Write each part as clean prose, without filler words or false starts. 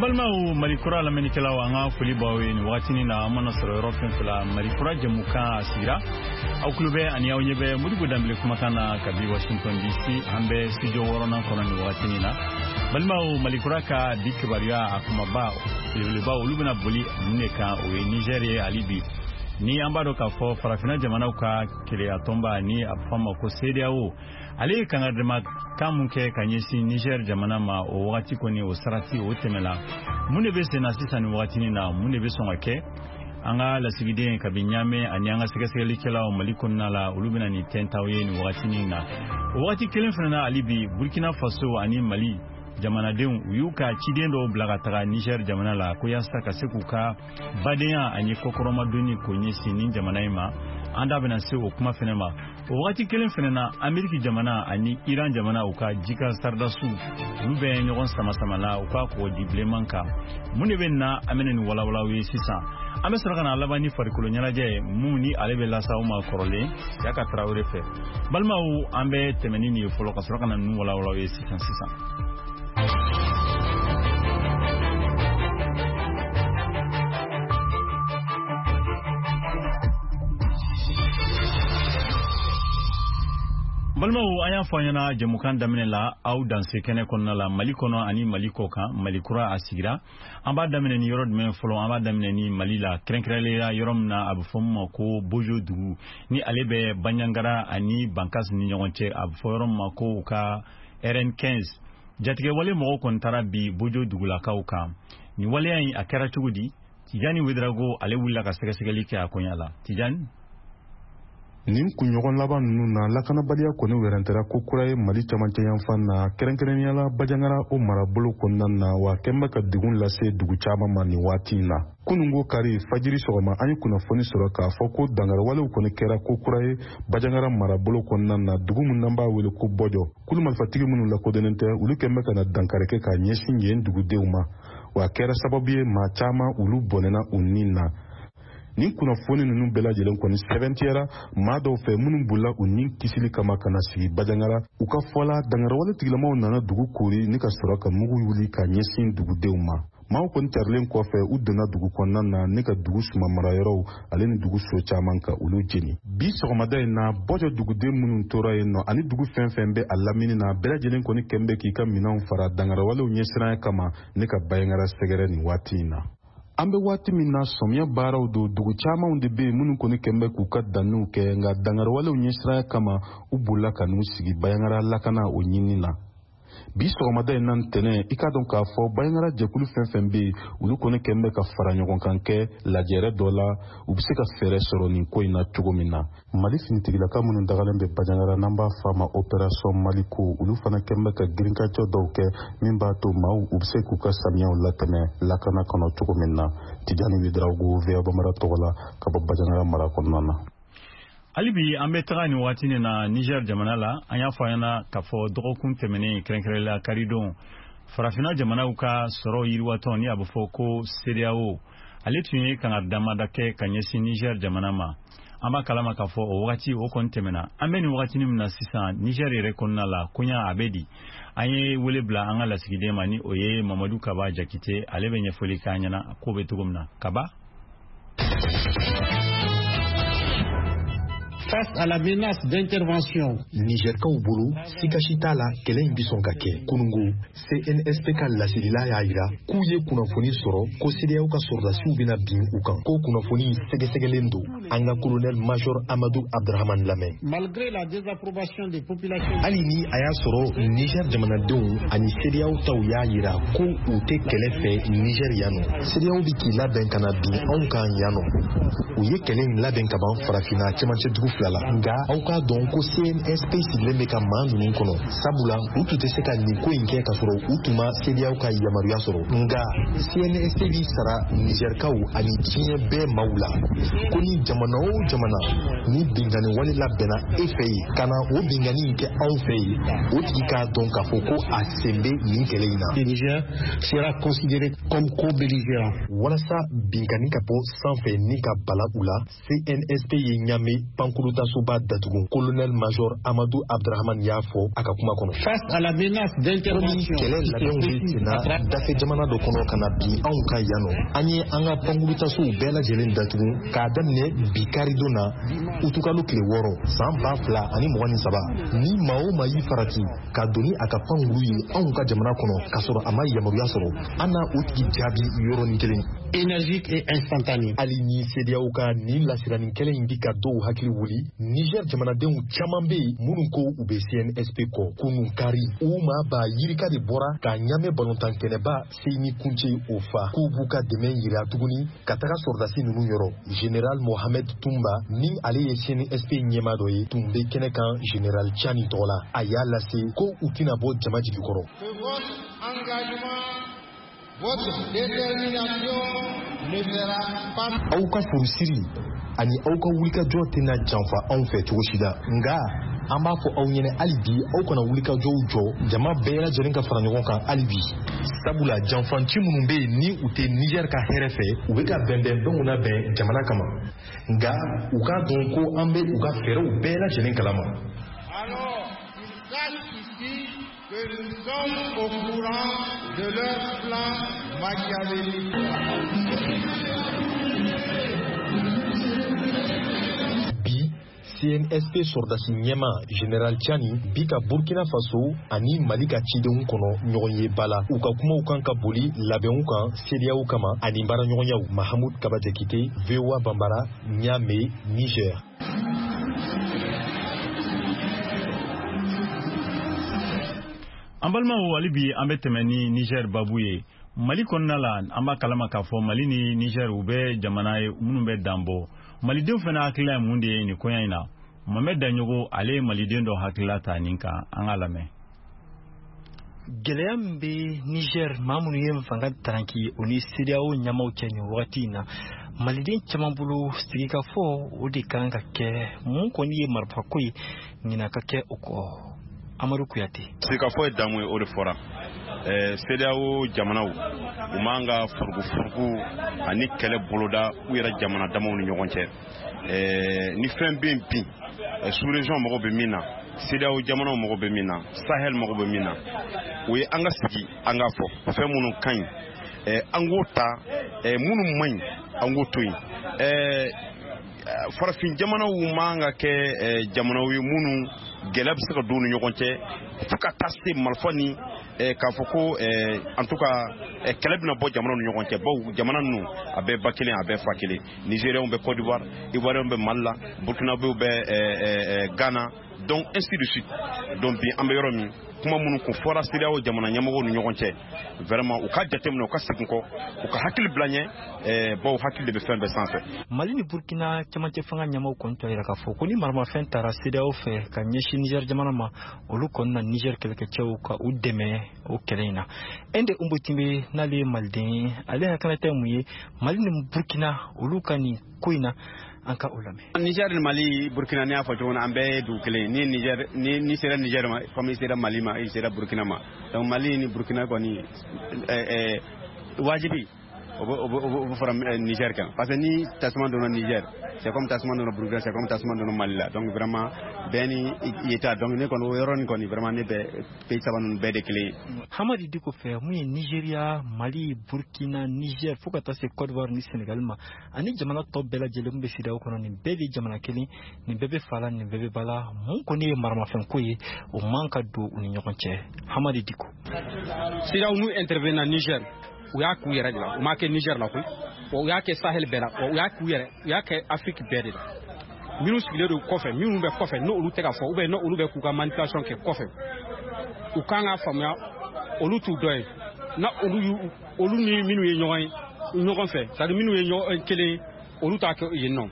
Balimaw, Mali Kura lamɛnnikɛlaw, an ka foli b'aw ye nin wagatinin na. An mana sɔrɔ yɔrɔ fɛn fɛn la, Mali Kura jɛmukan a sigira. Aw tulo bɛ ani aw ɲɛ bɛ Modibo Danbele kumakan na kabi Washington DC. An bɛ studio wɔɔrɔnan kɔnɔ nin wagatinin na. Balimaw, Mali Kura ka bi kibaruya a kumaba belebeleba, olu bɛna boli mun de kan? O ye Niger ye. Hali bi ni an b'a dɔn k'a fɔ farafinna jamanaw ka keleya tɔnba, ni a bɛ fɔ a ma ko CEDEAO, ale ye kangaridama kan mun kɛ ka ɲɛsin Niger jamana ma, o wagati kɔni, o sarati o tɛmɛla. Mun de bɛ sen na sisan nin wagatinin na? Mun de bɛ sɔn ka kɛ? An ka lasigiden kabi Ɲamɛ ani an ka sɛgɛsɛgɛlikɛlaw Mali kɔnɔna la, olu bɛna nin tɛntaw ye nin wagatinin na. O wagati kelen fana na, hali bi Burkina Faso ani Mali jamanadenw, u y'u ka ciden dɔw bila ka taga Niger jamana la ko yaasa ka se k'u ka badenya ani kɔkɔrɔmadonni k'o ɲɛsin nin jamana in ma. An da bɛna se o kuma fɛnɛ ma. O wagati kelen fɛnɛ na, Ameriki jamana ani Iran jamana, u ka jika saridasiw, olu bɛ ɲɔgɔn sama-sama la u ka kɔgɔji bilenman kan. Mun de bɛ na? An bɛna nin walawalaw ye sisan. An bɛ sɔrɔ ka na laban ni farikolo ɲɛnajɛ ye, mun ni ale bɛ lase aw ma kɔrɔlen Siyaka Tarawele fɛ. Balimaw, an bɛ tɛmɛ ni nin ye fɔlɔ ka sɔrɔ ka na ninnu walawalaw ye sisan sisan. Balimaw, an y'a fɔ an ɲɛna jɛmukan daminɛ la, aw danse kɛnɛ kɔnɔna la, Mali kɔnɔ ani Mali kɔ kan, Mali Kura a sigira. An b'a daminɛ ni yɔrɔ jumɛn fɔlɔ? An b'a daminɛ ni Mali la, kɛrɛnkɛrɛnnenya yɔrɔ min na a bɛ fɔ min ma ko Bojo dugu, ni ale bɛ Banjagara ani Bankas ni ɲɔgɔn cɛ, a bɛ fɔ yɔrɔ min ma ko u ka RN15. Jatigɛwale mɔgɔw kɔni taara bi Bojo dugulakaw kan. Nin waleya in, a kɛra cogo di? Tijani Wedrago, ale wulila ka sɛgɛsɛgɛli kɛ a koɲa la. Tijani. Nin kunɲɔgɔn laban ninnu na, lakanabaliya kɔni wɛrɛntɛra ko kura ye Mali camancɛ yanfan na, kɛrɛnkɛrɛnnenya la Bajangara o marabolo kɔnɔna na, wa kɛn bɛ ka degun lase dugu caman ma nin waati in na. Kunungo kari fajiri sɔgɔma, an ye kunnafoni sɔrɔ k'a fɔ ko dangariwalew kɔni kɛra ko kura ye Bajangara marabolo kɔnɔna na, dugu min n'an b'a wele ko Bɔjɔ. Kulu marifatigi minnu lakodɔnnen tɛ, olu kɛn bɛ ka na dankari kɛ k'a ɲɛsin yen dugudenw ma, wa a kɛra sababu ye maa caman olu bɔnɛna u nin na. Nin kunnafoni ninnu bɛɛ lajɛlen kɔni sɛbɛntiyara maa dɔw fɛ minnu bolila u nin kisili kama ka na sigi Bajangara. U ka fɔ la, dangarawale tigilamaw nana dugu koori ni ka sɔrɔ ka mugu wuli ka ɲɛsin dugudenw ma. Maaw kɔni carilen kɔfɛ, u donna dugu kɔnɔna na ni ka dugu suma marayɔrɔw ale ni dugu so caman ka olu jeni. Bi sɔgɔmada in na, Bɔjɔ duguden minnu tora yen nɔ ani dugu fɛn fɛn bɛ a lamini na, bɛɛ lajɛlen kɔni kɛn bɛ k'i ka minɛnw fara dangarawalew ɲɛsiranya kama ne ka Bajangara sɛgɛrɛ nin waati in na. An bɛ waati min na, sɔmiya baaraw don. Dugu camanw de bɛ yen minnu kɔni kɛn bɛ k'u ka danniw kɛ, nka dangarawalew ɲɛsiranya kama, u bolila ka n'u sigi Bajangara lakana o ɲinini na. Bi sɔgɔmada in na ntɛnɛn, i k'a dɔn k'a fɔ Bajangara jɛkulu fɛn fɛn bɛ yen, olu kɔni kɛn bɛ ka fara ɲɔgɔn kan kɛ lajɛrɛ dɔ la, u bɛ se ka fɛɛrɛ sɔrɔ nin ko in na cogo min na. Mali finitigilaka minnu dagalen bɛ Bajangara, n'an b'a fɔ a ma Opération Maliko, olu fana kɛn bɛ ka girinkajɔ dɔw kɛ min b'a to maaw u bɛ se k'u ka samiyaw latɛmɛ lakana kɔnɔ cogo min na. Tijani Wedrago, VOA Bambara tɔgɔ la, ka bɔ Bajangara mara kɔnɔna na. Hali bi an bɛ taga nin waati nin na Niger jamana la. An y'a fɔ an ɲɛna k'a fɔ dɔgɔkun tɛmɛnen, kɛrɛnkɛrɛnnenya karidon, farafinna jamanaw ka sɔrɔ yiriwatɔn, ni a bɛ fɔ ko CEDEAO, ale tun ye kangari damada kɛ ka ɲɛsin Niger jamana ma. An b'a kalama k'a fɔ o wagati o kɔni tɛmɛna. An bɛ nin wagatinin min na sisan, Niger yɛrɛ kɔnɔna la, koɲa a bɛ di? An ye wele bila an ka lasigiden ma, ni o ye Mamadu Kaba Jakite. Ale bɛ ɲɛfɔli k'an ɲɛna ko bɛ cogo min na. Kaba. Face à la menace d'intervention. Nizɛrikaw bolo, sika si t'a la, kɛlɛ in bɛ sɔn ka kɛ. Kunungo, CNSP ka laselila y'a jira k'u ye kunnafoni sɔrɔ ko CEDEAO ka sɔrɔdasiw bɛna bin u kan, ko kunnafoni sɛgɛsɛgɛlen don. An ka colonel major Amadu Abdrahaman lamɛn. Malgré la désapprobation des populations. Hali ni a y'a sɔrɔ Niger jamanadenw ani CEDEAO taw y'a jira ko u tɛ kɛlɛ fɛ Niger yan nɔ, CEDEAO bɛ k'i labɛn ka na bin anw kan yan nɔ. U ye kɛlɛ in labɛn ka ban farafinna cɛmancɛ dugu fila la, nka aw k'a dɔn ko CNSP sigilen bɛ ka maa ninnu kɔnɔ, sabula u tun tɛ se ka nin ko in kɛ k'a sɔrɔ u tun ma CEDEAO ka yamaruya sɔrɔ. Nka CNSP b'i sara Nizɛrikaw ani diɲɛ bɛɛ maaw la ko ni jamana o jamana ni binkanni wale labɛnna e fɛ yen ka na o binkanni in kɛ anw fɛ yen, o tigi k'a dɔn k'a fɔ ko a sen bɛ nin kɛlɛ in na. Le Niger sera considéré comme co-belligérant. Walasa binkanni ka bɔ sanfɛ ni ka bala u la, CNSP ye Ɲame pankuru pankurutasoba datugu, colonel major Amadou Abdrahman y'a fɔ a ka kuma kɔnɔ. Face à la menace d'intervention, kɛlɛ labɛnw bɛ senna dafɛ jamana dɔ kɔnɔ ka na bin anw kan yan nɔ, an ye an ka pankurutasow bɛɛ lajɛlen datugu k'a daminɛ bi karidon na, utukalo tile 6 san 2023. Ni maa o maa y'i farati ka don ni a ka pankuru ye anw ka jamana kɔnɔ k'a sɔrɔ a ma yamaruya sɔrɔ, an na o tigi jaabi yɔrɔnin kelen. Énergique et instantanée. Hali ni CEDEAO ka nin lasiranni kɛlɛ in bi ka dɔw hakili wuli, Niger jamanadenw caman bɛ yen minnu ko u bɛ CNSP kɔ. Kunun kari, u maa ba yirika de bɔra ka Ɲamɛ balontan kɛnɛba Seyni Kunce o fa, k'u b'u ka dɛmɛ yira tuguni ka taga sɔrɔdasi ninnu yɔrɔ. Général Mohamed Tumba, ni ale ye CNSP ɲɛmaa dɔ ye, tun bɛ kɛnɛ kan Général Tiani tɔgɔ la. A y'a lase ko u tɛna bɔ jama jigi kɔrɔ. Votre détermination ne sera pas. Aw ka furusiri ani aw ka wulikajɔ tɛna janfa anw fɛ cogo si la, nka an b'a fɔ aw ɲɛna hali bi, aw kana wulikajɔw jɔ, jama bɛɛ lajɛlen ka fara ɲɔgɔn kan hali bi, sabula janfanci minnu bɛ yen ni u tɛ Niger ka hɛrɛ fɛ, u bɛ ka bɛnbɛnbɛnw labɛn jamana kama, nka u k'a dɔn ko an bɛ u ka fɛɛrɛw bɛɛ lajɛlen kalama. Alors, qu'ils sachent ici que nous sommes au courant de leur plan machiavélique. Bi, CNSP sɔrɔdasi ɲɛma Général Tiani bi ka Burkina Faso ani Mali ka cidenw kɔnɔ ɲɔgɔn ye ba la. U ka kumaw kan ka boli labɛnw kan CEDEAO kama ani baaraɲɔgɔnyaw. Mahamud Kaba Jakite, VOA Bambara, Niamey, Niger. An balimaw, hali bi an bɛ tɛmɛ ni Niger babu ye. Mali kɔnɔna la, an b'a kalama k'a fɔ Mali ni Niger, u bɛ jamana ye minnu bɛ danbɔ. Malidenw fana hakilila ye mun de ye nin koɲa in na? Mohamed Daɲogo, ale ye maliden dɔ hakilila ta nin kan, an k'a lamɛn. Gɛlɛya min bɛ Niger, maa minnu ye fanga taranki, o ni CEDEAO ɲɛmaaw cɛ nin wagati in na, maliden caman bolo sigikafɔ o de kan ka kɛ. Mun kɔni ye marifako ye, ɲinan ka kɛ o kɔ. Amadu Kuyate. Sigikafɔ ye damu ye, o de fɔra. CEDEAO jamanaw, u man ka furugufurugu ani kɛlɛ boloda u yɛrɛ jamana damaw ni ɲɔgɔn cɛ. Ni fɛn bɛ yen bi, sous-région mago bɛ min na, CEDEAO jamanaw mago bɛ min na, Sahel mago bɛ min na, o ye an ka sigi an k'a fɔ fɛn minnu ka ɲi, an k'o ta, minnu man ɲi, an k'o to yen. Farafin jamanaw man ka kɛ jamanaw ye minnu gɛlɛya bɛ se ka don u ni ɲɔgɔn cɛ fo ka taa se marifa ni k'a fɔ ko en tout cas kɛlɛ bɛna bɔ jamanaw ni ɲɔgɔn cɛ, bawo jamana ninnu a bɛɛ ba kelen, a bɛɛ fa kelen. Nigériens bɛ Côte d'Ivoire, Ivoiriens bɛ Mali la, Burkinabéw bɛ Ghana, donc ainsi de suite. Donc bi an bɛ yɔrɔ min, kuma minnu kun fɔra CEDEAO jamana ɲɛmɔgɔw ni ɲɔgɔn cɛ, vraiment u ka jateminɛ, u ka segin kɔ, u ka hakili bila ɲɛ, bawo hakili de bɛ fɛn bɛɛ sanfɛ. Mali ni Burkina cɛmancɛ fanga ɲɛmaaw kɔni t'a yira k'a fɔ ko ni maramafɛn taara CEDEAO fɛ ka ɲɛsin Niger jamana ma, olu kɔni na Niger kɛlɛkɛcɛw ka u dɛmɛ o kɛlɛ in na. Ende Umbotimbe, n'ale ye maliden ye, ale hakilinata ye mun ye Mali ni Burkina olu ka nin ko in na? An ka o lamɛn. Niger ni Mali, Burkina, ni y'a fɔ cogo min na, an bɛɛ ye dugu kelen. Ni Niger ni sera Niger ma, comme i sera Mali ma, i sera Burkina ma. Donc Mali ni Burkina kɔni, wajibi o bɛ fara Niger kan, parce que ni tasuma donna Niger, c'est comme tasuma donna Burkina, c'est comme tasuma donna Mali la. Donc vraiment bɛɛ ni i ta. Donc ne kɔni, o yɔrɔnin kɔni, vraiment ne bɛ pays saba ninnu bɛɛ de kelen ye. Hamadi Diko fɛ, mun ye Nigeria, Mali, Burkina, Niger fo ka taa se Côte d'Ivoire ni Sénégal ma, ani jamana tɔ bɛɛ lajɛlen min bɛ CEDEAO kɔnɔ, nin bɛɛ de ye jamana kelen, nin bɛɛ bɛ fa la, nin bɛɛ bɛ ba la. Mun kɔni ye maramafɛnko ye, o man ka don u ni ɲɔgɔn cɛ. Hamadi Diko. CEDEAO n'u intervenir Niger, u y'a k'u yɛrɛ de la, u m'a kɛ Niger la koyi, wa u y'a kɛ Sahel bɛɛ la, wa u y'a k'u yɛrɛ, u y'a kɛ Afrique bɛɛ de la. Minnu sigilen don kɔfɛ, minnu bɛ kɔfɛ, n'olu tɛ ka fɔ, ou bien n'olu bɛ k'u ka manipulation kɛ kɔfɛ, u kan k'a faamuya olu t'u dɔn ye. Na olu y'u, olu ni minnu ye ɲɔgɔn ye ɲɔgɔn fɛ, c'est à dire minnu ye ɲɔgɔn kelen ye, olu t'a kɛ yen nɔ.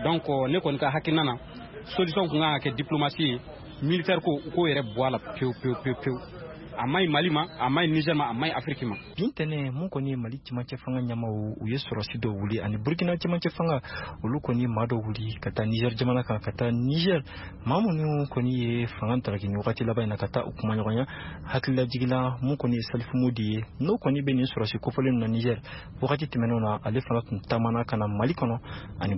Donc ne kɔni ka hakilina na, solution kun kan ka kɛ diplomatie ye, militaire ko u k'o yɛrɛ bɔ a la pewu pewu pewu pewu. A ma ɲi Mali ma, a ma ɲi Niger ma, a ma ɲi Afrique ma. Bi ntɛnɛn, mun kɔni ye Mali cɛmancɛ fanga ɲɛmaaw, u ye sɔrɔsi dɔw wuli, ani Burkina cɛmancɛ fanga, olu kɔni maa dɔw wuli ka taa Niger jamana kan, ka taa Niger maa minnu kɔni ye fanga taraki nin wagati laban in na, ka taa u kumaɲɔgɔnya. Hakililajigin mun kɔni ye Salifu Modi ye, n'o kɔni bɛ nin sɔrɔsi kofɔlen na Niger wagati tɛmɛnenw na, ale fana tun taamana ka na Mali kɔnɔ ani